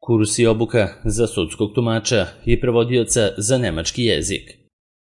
Kurs i obuka za sudskog tumača i prevodioca za nemački jezik.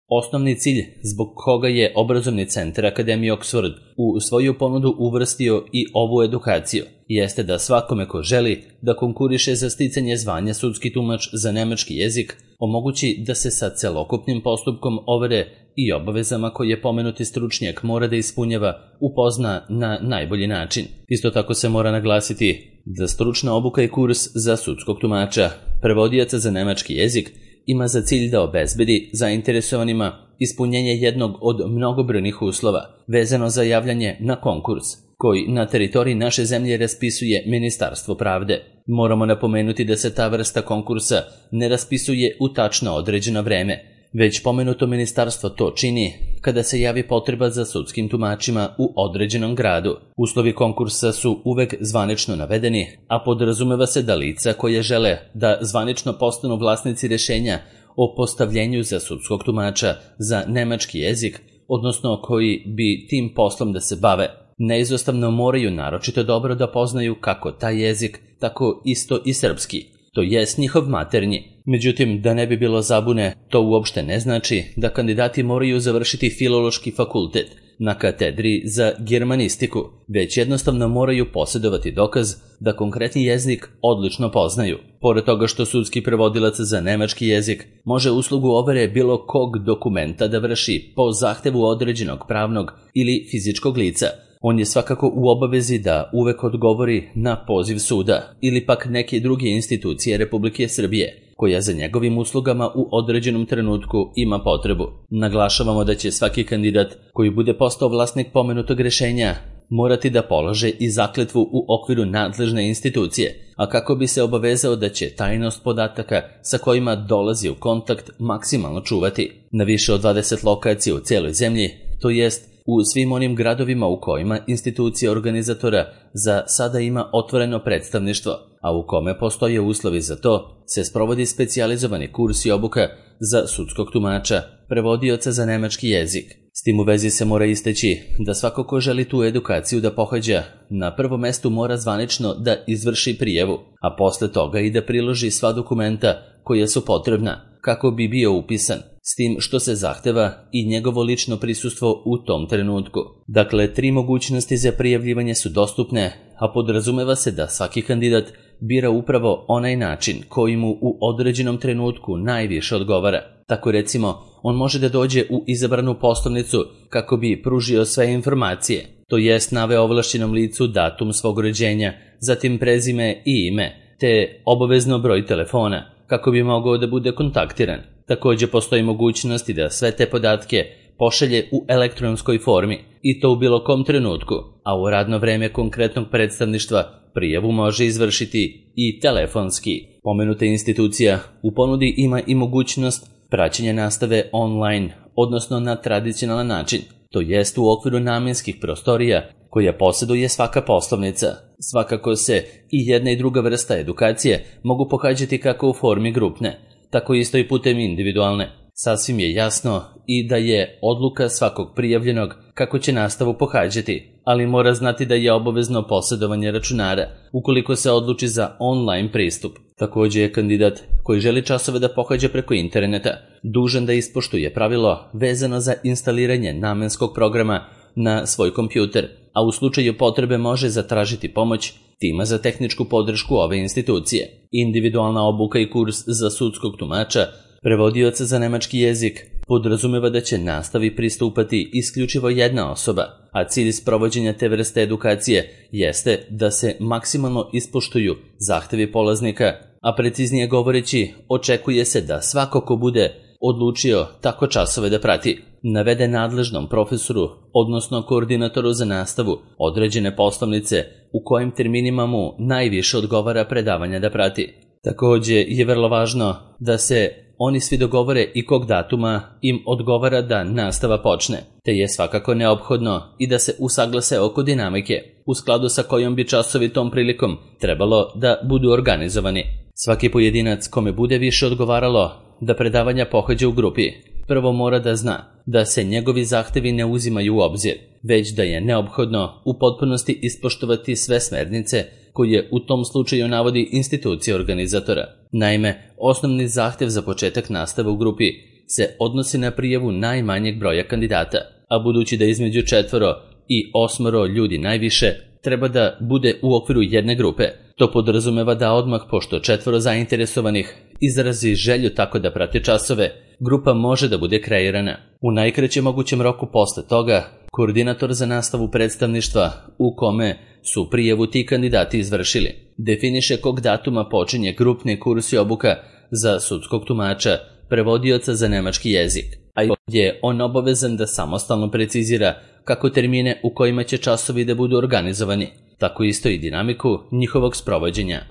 Osnovni cilj zbog koga je obrazovni centar Akademije Oxford u svoju ponudu uvrstio i ovu edukaciju jeste da svakome ko želi da konkuriše za sticanje zvanja sudski tumač za nemački jezik omogući da se sa celokupnim postupkom overe i obavezama koje pomenuti stručnjak mora da ispunjava upozna na najbolji način. Isto tako se mora naglasiti da stručna obuka i kurs za sudskog tumača, prevodioca za nemački jezik ima za cilj da obezbedi zainteresovanima ispunjenje jednog od mnogobrojnih uslova vezano za javljanje na konkurs, koji na teritoriji naše zemlje raspisuje Ministarstvo pravde. Moramo napomenuti da se ta vrsta konkursa ne raspisuje u tačno određeno vreme, već pomenuto ministarstvo to čini kada se javi potreba za sudskim tumačima u određenom gradu. Uslovi konkursa su uvek zvanično navedeni, a podrazumeva se da lica koje žele da zvanično postanu vlasnici rešenja o postavljenju za sudskog tumača za nemački jezik, odnosno koji bi tim poslom da se bave, neizostavno moraju naročito dobro da poznaju kako taj jezik, tako isto i srpski, to jest njihov maternji. Međutim, da ne bi bilo zabune, to uopšte ne znači da kandidati moraju završiti filološki fakultet na katedri za germanistiku, već jednostavno moraju posjedovati dokaz da konkretni jezik odlično poznaju. Pored toga što sudski prevodilac za nemački jezik može uslugu overe bilo kog dokumenta da vrši po zahtevu određenog pravnog ili fizičkog lica, on je svakako u obavezi da uvek odgovori na poziv suda ili pak neke druge institucije Republike Srbije, koja za njegovim uslugama u određenom trenutku ima potrebu. Naglašavamo da će svaki kandidat koji bude postao vlasnik pomenutog rešenja morati da polaže i zakletvu u okviru nadležne institucije, a kako bi se obavezao da će tajnost podataka sa kojima dolazi u kontakt maksimalno čuvati. Na više od 20 lokacija u celoj zemlji, to jest u svim onim gradovima u kojima institucija organizatora za sada ima otvoreno predstavništvo, a u kome postoje uslovi za to, se sprovodi specijalizovani kurs i obuka za sudskog tumača, prevodioca za nemački jezik. S tim u vezi se mora istaći da svako ko želi tu edukaciju da pohađa, na prvom mestu mora zvanično da izvrši prijavu, a posle toga i da priloži sva dokumenta koja su potrebna kako bi bio upisan, s tim što se zahteva i njegovo lično prisustvo u tom trenutku. Dakle, 3 mogućnosti za prijavljivanje su dostupne, a podrazumeva se da svaki kandidat bira upravo onaj način koji mu u određenom trenutku najviše odgovara. Tako recimo, on može da dođe u izabranu poslovnicu kako bi pružio sve informacije, to jest naveo ovlašćenom licu datum svog rođenja, zatim prezime i ime, te obavezno broj telefona, kako bi mogao da bude kontaktiran. Također postoji mogućnosti da sve te podatke pošalje u elektronskoj formi i to u bilo kom trenutku, a u radno vreme konkretnog predstavništva prijavu može izvršiti i telefonski. Pomenuta institucija u ponudi ima i mogućnost praćenja nastave online, odnosno na tradicionalan način, to jest u okviru namenskih prostorija koja posjeduje svaka poslovnica. Svakako se i jedna i druga vrsta edukacije mogu pohađati kako u formi grupne, tako isto i putem individualne. Sasvim je jasno i da je odluka svakog prijavljenog kako će nastavu pohađati, ali mora znati da je obavezno posjedovanje računara ukoliko se odluči za online pristup. Također je kandidat koji želi časove da pohađa preko interneta dužan da ispoštuje pravilo vezano za instaliranje namenskog programa na svoj kompjuter, a u slučaju potrebe može zatražiti pomoć tima za tehničku podršku ove institucije. Individualna obuka i kurs za sudskog tumača, prevodioca za nemački jezik, podrazumeva da će nastavi pristupati isključivo jedna osoba, a cilj sprovođenja te vrste edukacije jeste da se maksimalno ispoštuju zahtevi polaznika, a preciznije govoreći, očekuje se da svako ko bude odlučio tako časove da prati, navede nadležnom profesoru, odnosno koordinatoru za nastavu, određene poslovnice u kojim terminima mu najviše odgovara predavanja da prati. Također je vrlo važno da se oni svi dogovore i kog datuma im odgovara da nastava počne, te je svakako neophodno i da se usaglase oko dinamike, u skladu sa kojom bi časovi tom prilikom trebalo da budu organizovani. Svaki pojedinac kome bude više odgovaralo da predavanja pohađa u grupi, prvo mora da zna da se njegovi zahtevi ne uzimaju u obzir, već da je neophodno u potpunosti ispoštovati sve smernice koje u tom slučaju navodi institucija organizatora. Naime, osnovni zahtev za početak nastave u grupi se odnosi na prijavu najmanjeg broja kandidata, a budući da između 4 i 8 ljudi najviše treba da bude u okviru jedne grupe, to podrazumeva da odmah, pošto 4 zainteresovanih izrazi želju tako da prate časove, grupa može da bude kreirana. U najkraćem mogućem roku posle toga, koordinator za nastavu predstavništva u kome su prijavu ti kandidati izvršili definiše kog datuma počinje grupni kurs i obuka za sudskog tumača, prevodioca za nemački jezik, a je on obavezan da samostalno precizira kako termine u kojima će časovi da budu organizovani, tako isto i dinamiku njihovog sprovođenja.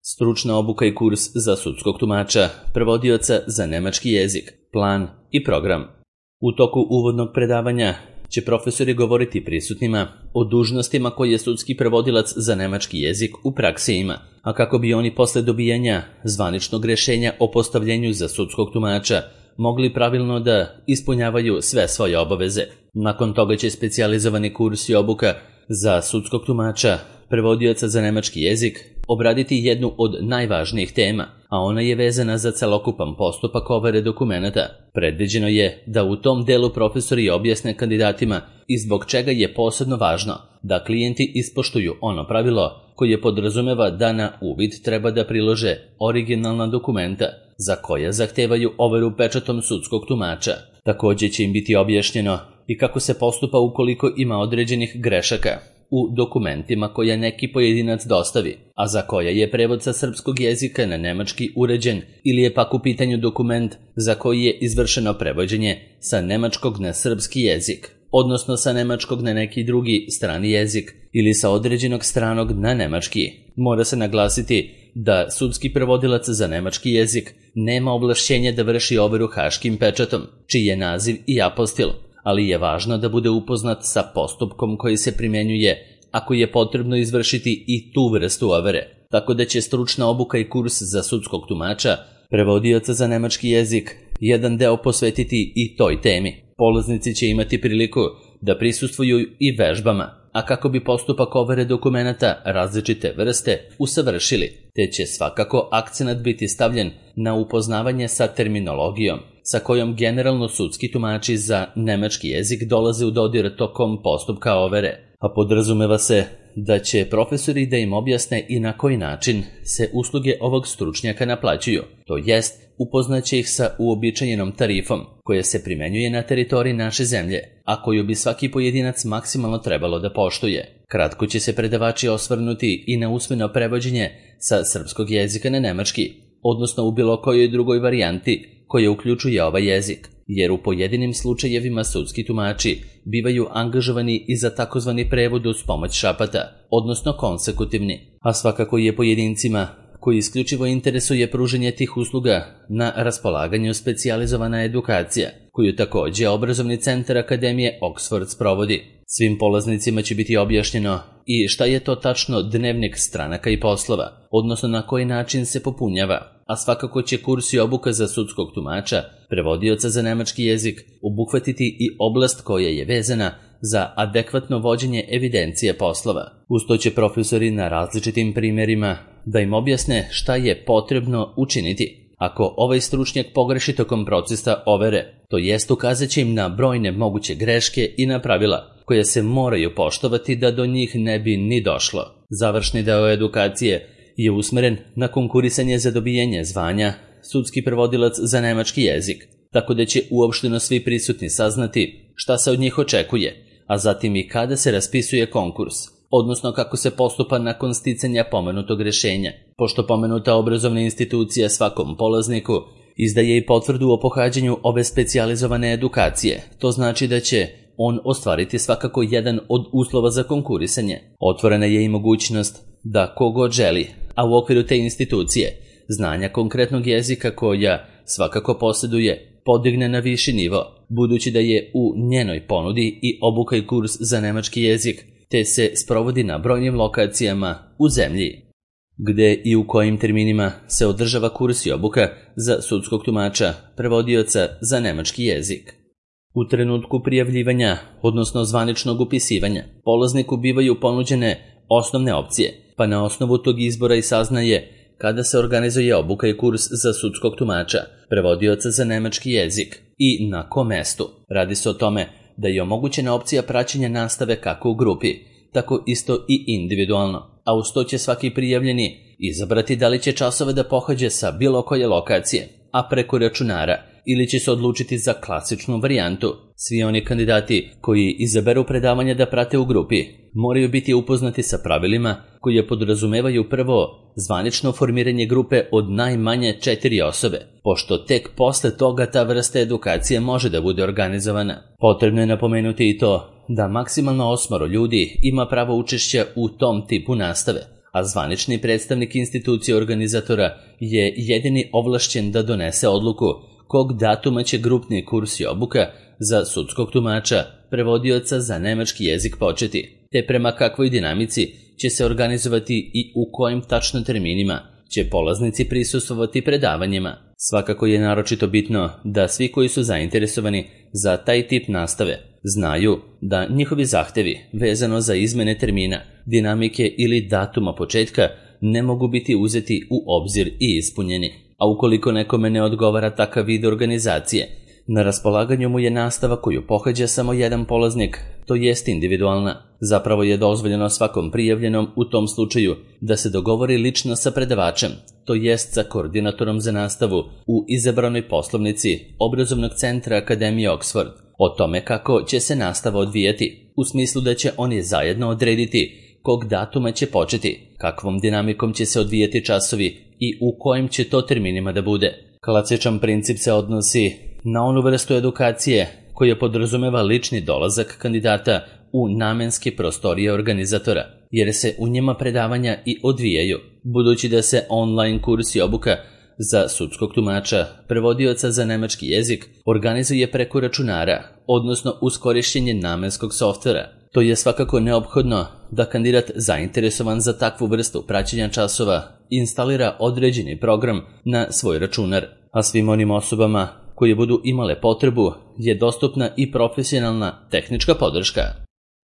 Stručna obuka i kurs za sudskog tumača, prevodioca za nemački jezik, plan i program. U toku uvodnog predavanja će profesori govoriti prisutnima o dužnostima koje sudski prevodilac za nemački jezik u praksi ima, a kako bi oni posle dobijanja zvaničnog rešenja o postavljenju za sudskog tumača mogli pravilno da ispunjavaju sve svoje obaveze. Nakon toga će specijalizovani kurs i obuka za sudskog tumača, prevodioca za nemački jezik, obraditi jednu od najvažnijih tema, a ona je vezana za celokupan postupak overe dokumenata. Predviđeno je da u tom delu profesori objasne kandidatima i zbog čega je posebno važno da klijenti ispoštuju ono pravilo koje podrazumeva da na uvid treba da prilože originalna dokumenta za koja zahtevaju overu pečatom sudskog tumača. Takođe će im biti objašnjeno i kako se postupa ukoliko ima određenih grešaka u dokumentima koje neki pojedinac dostavi, a za koja je prevod sa srpskog jezika na nemački uređen ili je pak u pitanju dokument za koji je izvršeno prevođenje sa nemačkog na srpski jezik, odnosno sa nemačkog na neki drugi strani jezik ili sa određenog stranog na nemački. Mora se naglasiti da sudski prevodilac za nemački jezik nema ovlašćenja da vrši overu haškim pečatom, čiji je naziv i apostil, ali je važno da bude upoznat sa postupkom koji se primenjuje ako je potrebno izvršiti i tu vrstu overe, tako da će stručna obuka i kurs za sudskog tumača, prevodioca za nemački jezik, jedan deo posvetiti i toj temi. Polaznici će imati priliku da prisustvuju i vežbama, a kako bi postupak overe dokumenata različite vrste usavršili, te će svakako akcenat biti stavljen na upoznavanje sa terminologijom, sa kojom generalno sudski tumači za nemački jezik dolaze u dodir tokom postupka overe, a podrazumeva se da će profesori da im objasne i na koji način se usluge ovog stručnjaka naplaćuju, to jest upoznaće ih sa uobičajenom tarifom koja se primenjuje na teritoriji naše zemlje, a koju bi svaki pojedinac maksimalno trebalo da poštuje. Kratko će se predavači osvrnuti i na usmeno prevođenje sa srpskog jezika na nemački, odnosno u bilo kojoj drugoj varijanti koja uključuje ovaj jezik, jer u pojedinim slučajevima sudski tumači bivaju angažovani i za takozvani prevod uz pomoć šapata, odnosno konsekutivni, a svakako je pojedincima koji isključivo interesuje pružanje tih usluga na raspolaganju specijalizovana edukacija, koju takođe obrazovni centar Akademije Oxford sprovodi. Svim polaznicima će biti objašnjeno i šta je to tačno dnevnik stranaka i poslova, odnosno na koji način se popunjava, a svakako će kurs i obuka za sudskog tumača, prevodioca za nemački jezik, obuhvatiti i oblast koja je vezana za adekvatno vođenje evidencije poslova. Uz to će profesori na različitim primjerima da im objasne šta je potrebno učiniti ako ovaj stručnjak pogreši tokom procesa overe, to jest ukazat će im na brojne moguće greške i na pravila koje se moraju poštovati da do njih ne bi ni došlo. Završni deo edukacije je usmeren na konkurisanje za dobijanje zvanja sudski prevodilac za nemački jezik, tako da će uopšteno svi prisutni saznati šta se od njih očekuje, a zatim i kada se raspisuje konkurs, odnosno kako se postupa nakon sticanja pomenutog rešenja. Pošto pomenuta obrazovna institucija svakom polazniku izdaje i potvrdu o pohađanju ove specijalizovane edukacije, to znači da će on ostvariti svakako jedan od uslova za konkurisanje. Otvorena je i mogućnost da kogod želi, a u okviru te institucije, znanja konkretnog jezika koja svakako posjeduje, podigne na viši nivo, budući da je u njenoj ponudi i obuka i kurs za nemački jezik, te se sprovodi na brojnim lokacijama u zemlji. Gde i u kojim terminima se održava kurs i obuka za sudskog tumača, prevodioca za nemački jezik. U trenutku prijavljivanja, odnosno zvaničnog upisivanja, polazniku bivaju ponuđene osnovne opcije, pa na osnovu tog izbora i saznaje kada se organizuje obuka i kurs za sudskog tumača, prevodioca za nemački jezik i na kom mestu. Radi se o tome da je omogućena opcija praćenja nastave kako u grupi, tako isto i individualno, a uz to će svaki prijavljeni izabrati da li će časove da pohađa sa bilo koje lokacije, a preko računara, ili će se odlučiti za klasičnu varijantu. Svi oni kandidati koji izaberu predavanja da prate u grupi moraju biti upoznati sa pravilima koje podrazumevaju prvo zvanično formiranje grupe od najmanje 4 osobe, pošto tek posle toga ta vrsta edukacije može da bude organizovana. Potrebno je napomenuti i to da maksimalno 8 ljudi ima pravo učešća u tom tipu nastave, a zvanični predstavnik institucije organizatora je jedini ovlašćen da donese odluku kog datuma će grupni kurs i obuka za sudskog tumača, prevodioca za nemački jezik početi, te prema kakvoj dinamici će se organizovati i u kojim tačno terminima će polaznici prisustvovati predavanjima. Svakako je naročito bitno da svi koji su zainteresovani za taj tip nastave znaju da njihovi zahtevi vezano za izmene termina, dinamike ili datuma početka ne mogu biti uzeti u obzir i ispunjeni. A ukoliko nekome ne odgovara takav vid organizacije, na raspolaganju mu je nastava koju pohađa samo jedan polaznik, to jest individualna. Zapravo je dozvoljeno svakom prijavljenom u tom slučaju da se dogovori lično sa predavačem, to jest sa koordinatorom za nastavu u izabranoj poslovnici obrazovnog centra Akademije Oxford o tome kako će se nastava odvijati, u smislu da će oni zajedno odrediti kog datuma će početi, kakvom dinamikom će se odvijati časovi i u kojim će to terminima da bude. Klasičan princip se odnosi na onu vrstu edukacije koja podrazumeva lični dolazak kandidata u namenske prostorije organizatora, jer se u njima predavanja i odvijaju, budući da se online kurs i obuka za sudskog tumača, prevodioca za nemački jezik, organizuje preko računara, odnosno uz korišćenje namenskog softvera. To je svakako neophodno da kandidat zainteresovan za takvu vrstu praćenja časova instalira određeni program na svoj računar, a svim onim osobama koje budu imale potrebu je dostupna i profesionalna tehnička podrška.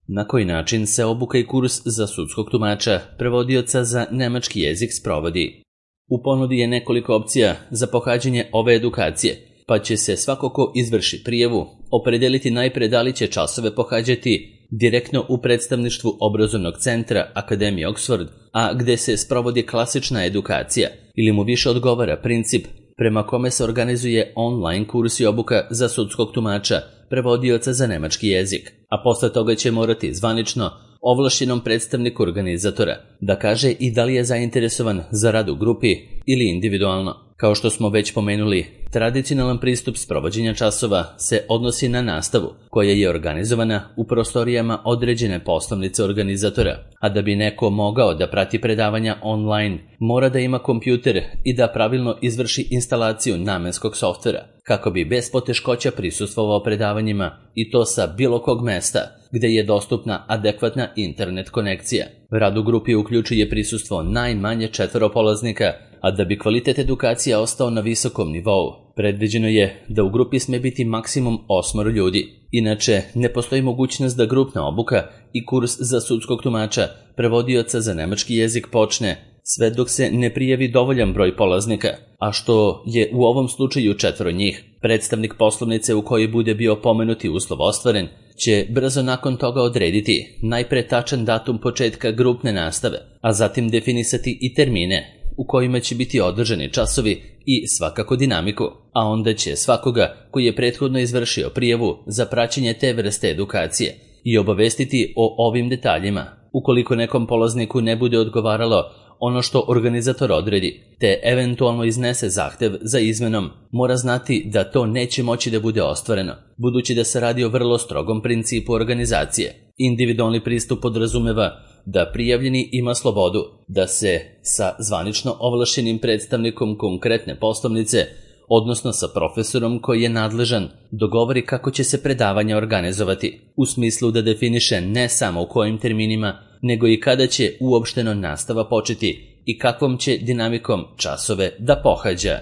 Na koji način se obuka i kurs za sudskog tumača, prevodioca za nemački jezik sprovodi? U ponudi je nekoliko opcija za pohađanje ove edukacije, pa će se svako ko izvrši prijavu opredeliti najpre da li će časove pohađati direktno u predstavništvu obrazovnog centra Akademije Oxford, a gde se sprovodi klasična edukacija, ili mu više odgovara princip prema kome se organizuje online kurs i obuka za sudskog tumača, prevodioca za nemački jezik, a posle toga će morati zvanično ovlašćenom predstavniku organizatora da kaže i da li je zainteresovan za rad u grupi ili individualno. Kao što smo već pomenuli, tradicionalan pristup sprovođenja časova se odnosi na nastavu koja je organizovana u prostorijama određene poslovnice organizatora, a da bi neko mogao da prati predavanja online, mora da ima kompjuter i da pravilno izvrši instalaciju namenskog softvera, kako bi bez poteškoća prisustvovao predavanjima i to sa bilo kog mesta gde je dostupna adekvatna internet konekcija. Rad u grupi uključuje prisustvo najmanje 4 polaznika, a da bi kvalitet edukacija ostao na visokom nivou, predviđeno je da u grupi sme biti maksimum 8 ljudi. Inače, ne postoji mogućnost da grupna obuka i kurs za sudskog tumača, prevodioca za nemački jezik počne sve dok se ne prijavi dovoljan broj polaznika, a što je u ovom slučaju 4 njih. Predstavnik poslovnice u kojoj bude bio pomenuti uslov ostvaren će brzo nakon toga odrediti najpre tačan datum početka grupne nastave, a zatim definisati i termine u kojima će biti održani časovi i svakako dinamiku, a onda će svakoga koji je prethodno izvršio prijavu za praćenje te vrste edukacije i obavestiti o ovim detaljima. Ukoliko nekom polazniku ne bude odgovaralo ono što organizator odredi, te eventualno iznese zahtev za izmenom, mora znati da to neće moći da bude ostvareno, budući da se radi o vrlo strogom principu organizacije. Individualni pristup podrazumeva da prijavljeni ima slobodu da se sa zvanično ovlašćenim predstavnikom konkretne poslovnice, odnosno sa profesorom koji je nadležan, dogovori kako će se predavanja organizovati, u smislu da definiše ne samo u kojim terminima, nego i kada će uopšteno nastava početi i kakvom će dinamikom časove da pohađa.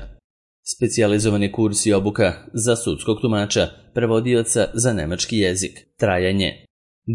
Specijalizovani kurs i obuka za sudskog tumača, prevodioca za nemački jezik. Trajanje.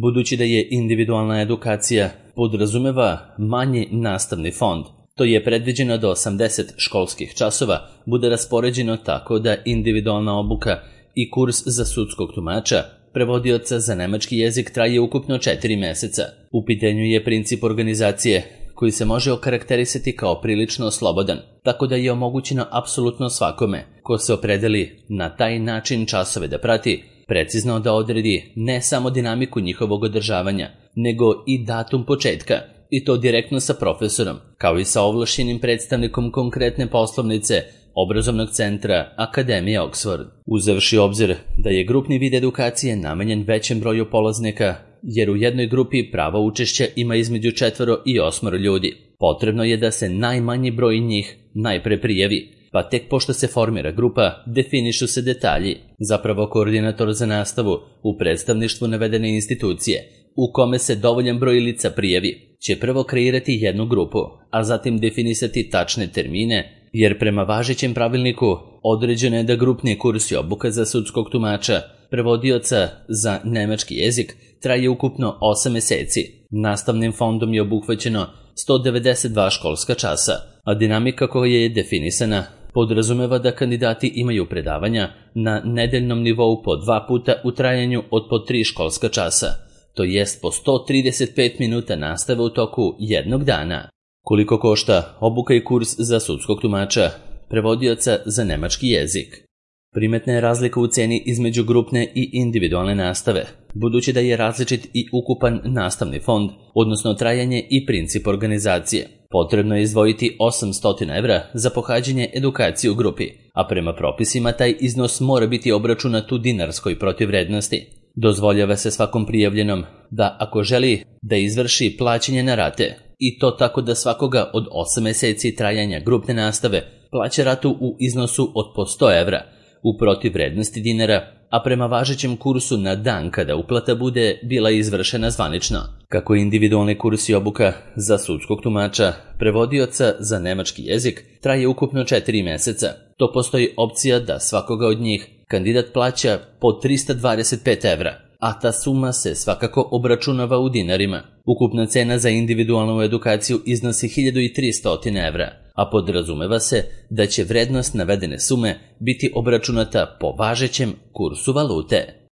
Budući da je individualna edukacija podrazumeva manji nastavni fond. To je predviđeno da 80 školskih časova bude raspoređeno tako da individualna obuka i kurs za sudskog tumača, prevodioca za nemački jezik traje ukupno 4 meseca. U pitanju je princip organizacije koji se može okarakterisati kao prilično slobodan, tako da je omogućeno apsolutno svakome ko se opredeli na taj način časove da prati, precizno da odredi ne samo dinamiku njihovog održavanja, nego i datum početka, i to direktno sa profesorom, kao i sa ovlašćenim predstavnikom konkretne poslovnice obrazovnog centra Akademije Oxford. Uzevši obzir da je grupni vid edukacije namenjen većem broju polaznika, jer u jednoj grupi pravo učešća ima između 4 i 8 ljudi, potrebno je da se najmanji broj njih najpre prijavi, pa tek pošto se formira grupa, definišu se detalji. Zapravo koordinator za nastavu u predstavništvu navedene institucije, u kome se dovoljan broj lica prijavi, će prvo kreirati jednu grupu, a zatim definisati tačne termine, jer prema važećem pravilniku određeno je da grupni kurs i obuka za sudskog tumača, prevodioca za nemački jezik, traje ukupno 8 meseci. Nastavnim fondom je obuhvaćeno 192 školska časa, a dinamika koja je definisana podrazumeva da kandidati imaju predavanja na nedeljnom nivou po 2 puta u trajanju od po 3 školska časa, to jest po 135 minuta nastave u toku jednog dana. Koliko košta obuka i kurs za sudskog tumača, prevodioca za nemački jezik? Primetna je razlika u ceni između grupne i individualne nastave, budući da je različit i ukupan nastavni fond, odnosno trajanje i princip organizacije. Potrebno je izdvojiti 800 evra za pohađanje edukacije u grupi, a prema propisima taj iznos mora biti obračunat u dinarskoj protivvrednosti. Dozvoljava se svakom prijavljenom da ako želi da izvrši plaćanje na rate, i to tako da svakoga od 8 meseci trajanja grupne nastave plaća ratu u iznosu od po 100 evra, u protivvrednosti dinara, a prema važećem kursu na dan kada uplata bude bila izvršena zvanično. Kako individualni kurs i obuka za sudskog tumača, prevodioca za nemački jezik traje ukupno 4 meseca, to postoji opcija da svakoga od njih kandidat plaća po 325 evra, a ta suma se svakako obračunava u dinarima. Ukupna cena za individualnu edukaciju iznosi 1300 evra, a podrazumeva se da će vrednost navedene sume biti obračunata po važećem kursu valute.